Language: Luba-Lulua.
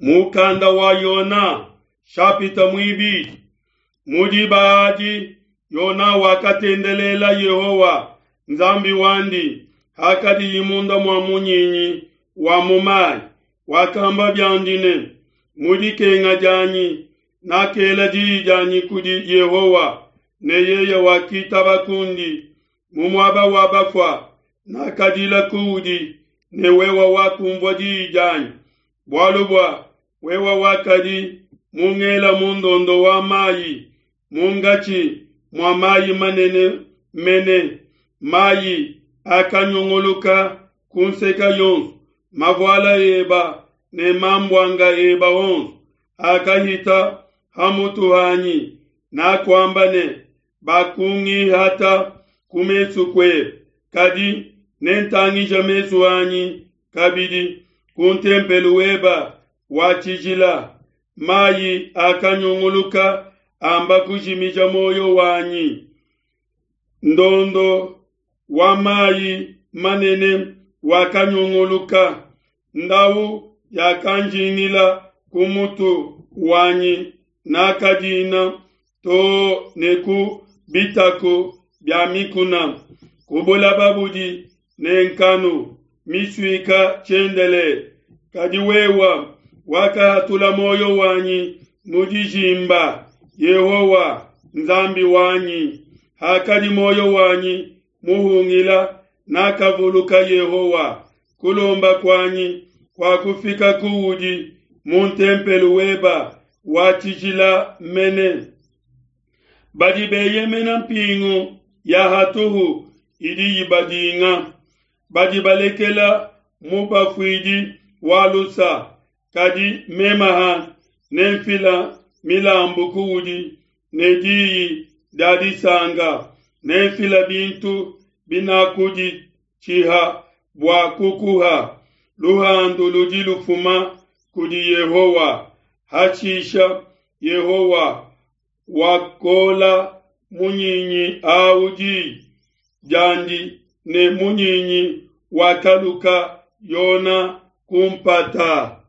Mukanda wa Yona shapita muibidi. Mu diba adi Yona wakatendelela Yehowa Nzambi wandi hakadiyi munda mua munyinyi wa mu mai. Wakamba biandi ne, Mu dikenga dianyi nakela diyi dianyi kudi Yehowa, ne yeye wakitaba kundi. Mu muaba wa bafua nakadila kuudi, ne wewe wakunvua diyi dianyi. Bualu bua wewe wakadi mungela mu ndondo wa mai, munkatshi mua mai manene mene, mai akanyunguluka ku nseke yonso, mavuala eba ne mambuanga eba onso akahita ha mutu hanyi. Nakuamba ne, Bakungihata ku mesu kuebe, kadi nentangije mesu anyi kabidi ku ntempelo weba wa tshijila. Mai akanyunguluka amba kujimija muoyo wanyi. Ndondo wa mai manene wakanyunguluka, ndau yakanjingila ku mutu wanyi, nakadina too ne ku bitaku bia mikuna, ku bulaba budi ne nkanu misuika tshiendelele. Kadi wewe wakahatula muoyo wanyi mu dijimba, Yehowa Nzambi wanyi. Hakadi muoyo wanyi muhungila, nakavuluka Yehowa. Kulomba kuanyi kuakufika kuudi mu ntempelo weba wa tshijila mene. Badi beyemena mpingu ya hatuhu idi ibadinga, badi balekela mubafuidi wa lusa. Kadi meme hanyi nenfila milambu kuudi ne diyi dia disanka, nenfila bintu binakuditshiha bua kukuha. Luhandu ludi lufuma kudi Yehowa. Hashisha Yehowa wakola munyinyi au diyi diandi, ne munyinyi wakaluka Yona ku mpata.